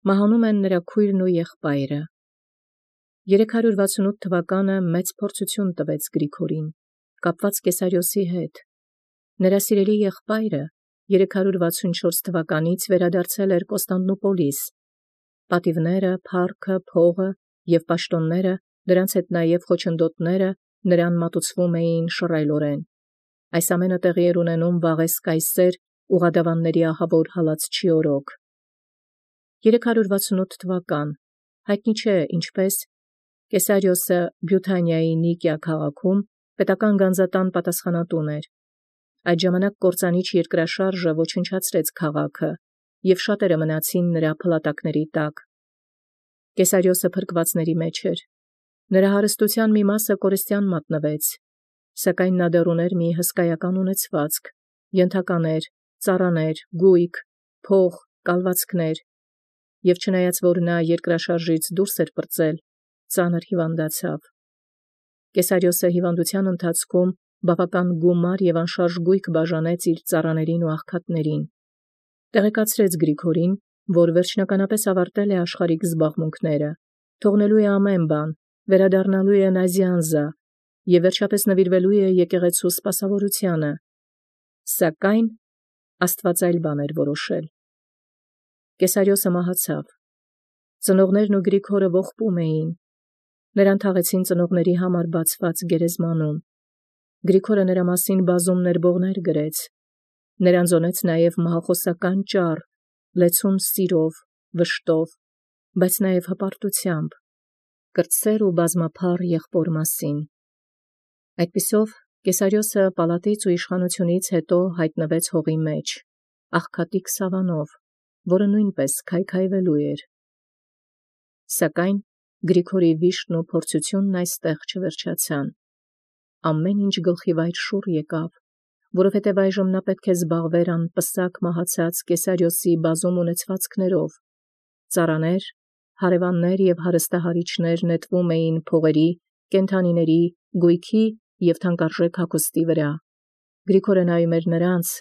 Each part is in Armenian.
Մահանում են նրա քույրն ու եղբայրը։ 368 թվականը մեծ փորձություն տվեց Գրիգորին, կապված Կեսարիոսի հետ։ Նրա սիրելի եղբայրը 364 թվականից վերադարձել էր Կոստանդնուպոլիս։ Պատիվները, փառքը, փողը և պաշտոնները, դրանց հետ նաև խոչընդոտները նրան մատուցվում էին շռայլորեն։ Այս ամենը տեղի էր ունենում Վաղես կայսեր ուղադավանների ահավոր հալածչի օրոք։ 368 թվական, հայտնի չէ ինչպես, Կեսարիոսը Բյութանիայի Նիկիա քաղաքում պետական գանձատան պատասխանատուն էր։ Այդ ժամանակ կործանիչ երկրաշարժը ոչնչացրեց քաղաքը, և շատերը մնացին նրա փլատակների տակ։ Կեսարիոսը փրկվածների մեջ էր։ Նրա հարստության մի մասը կորստյան մատնվեց, սակայն նա դեռ ուներ մի հսկայական ունեցվածք, ենթականեր, ծառաներ, գույք, փող, կալվածքներ, և չնայած որ նա երկրաշարժից դուրս էր պրծել, ծանր հիվանդացավ։ Կեսարիոսը հիվանդության ընթացքում բավական գումար և անշարժ գույք բաժանեց իր ծառաներին ու աղքատներին։ Տեղեկացրեց Գրիգորին, որ վերջնականապես ավարտել է աշխարհիկ զբաղմունքները, թողնելու է ամեն բան, վերադառնալու է Նազյանզա և վերջապես նվիրվելու է եկեղեցու սպասավորությանը, սակայն Աստված այլ բան էր որոշել։ Կեսարիոսը մահացավ։ Ծնողներն ու Գրիգորը ողբում էին։ Նրան թաղեցին ծնողների համար բացված գերեզմանում։ Գրիգորը նրա մասին բազում ներբողներ գրեց։ Նրան զոնեց նաև մահախոսական ճառ, լեցուն սիրով, վշտով, բայց նաև հպարտությամբ, կրտսեր ու բազմափառ եղբոր մասին։ Այդպիսով Կեսարիոսը պալատից ու իշխանությունից հետո հայտնվեց հողի մեջ, աղքատիկ Սավանով, որը նույնպես քայքայվելու էր։ Սակայն Գրիգորի վիշտն ու փորձությունն այստեղ չվերջացան։ Ամեն ինչ գլխիվայր շուռ եկավ, որովհետև այժմ նա պետք է զբաղվեր անպսակ մահացած Կեսարիոսի բազում ունեցվածքներով։ Ծառաներ, հարևաններ և հարստահարիչներ նետվում էին փողերի, կենդանիների, գույքի և թանկարժեք հագուստի վրա։ Գրիգորը նայում էր նրանց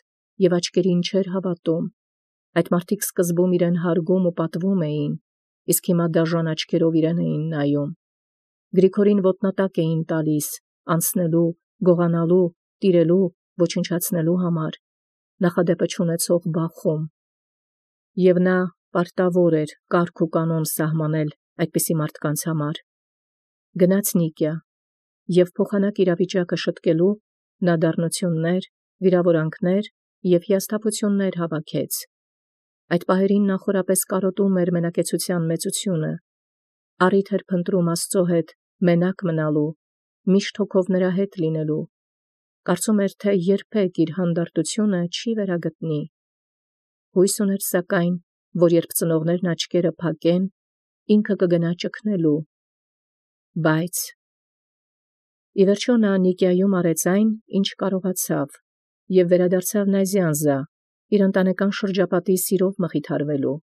և աչքերին չէր հավատում։ Այդ մարդիկ սկզբում իրեն հարգում ու պատվում էին, իսկ հիմա դաժան աչքերով իրեն էին նայում։ Գրիգորին ոտնատակ էին տալիս, անցնելու, գողանալու, տիրելու, ոչնչացնելու համար, նախադեպը չունեցող բախում։ Եվ նա պարտավոր էր կարգ ու կանոն սահմանել այդպիսի մարդկանց համար։ Գնաց Նիկիա, և փոխանակ իրավիճակը շտկելու նա դառնություններ, վիրավորանքներ և հիասթափություններ հավաքեց։ Այդ պահերին նա խորապես կարոտում էր մենակեցության մեծությունը, առիթ էր փնտրում Աստծո հետ մենակ մնալու, միշտ հոգով նրա հետ լինելու, կարծում էր, թե երբեք իր հանդարտությունը չի վերագտնի։ Հույս ուներ սակայն, որ երբ ծնողներն աչքերը փակեն, ինքը կգնա ճգնելու։ Բայց ի վերջո նա Նիկիայում արեց այն, ինչ կարողացավ, և վերադարձավ Նազյանզա, իր ընտանեկան շրջապատի սիրով մխիթարվելու։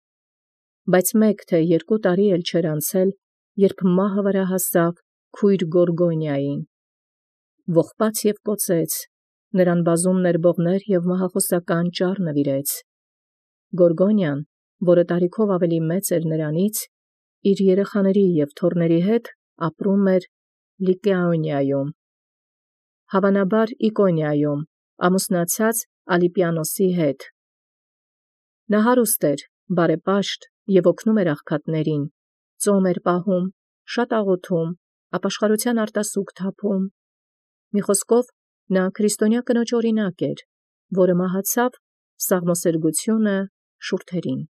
Բայց մեկ թե երկու տարի էլ չէր անցել, երբ մահը վրա հասավ քույր Գորգոնիային։ Ողբաց և կոծեց, նրան բազում ներբողներ և մահախոսական ճառ նվիրեց։ Գորգոնիան, որը տարիքով ավելի մեծ էր նրանից, իր երեխաների և թոռների հետ ապրում էր Լիկաոնիայում, հավանաբար Իկոնիայում, ամուսնացած Ալիպիանոսի հետ։ Նա հարուստ էր, բարեպաշտ և օգնում էր աղքատներին, ծոմ էր պահում, շատ աղոթում, ապաշխարության արտասուք թափում։ Մի խոսքով, նա քրիստոնյա կնոջ օրինակ էր, որը մահացավ սաղմոսերգությունը շուրթերին։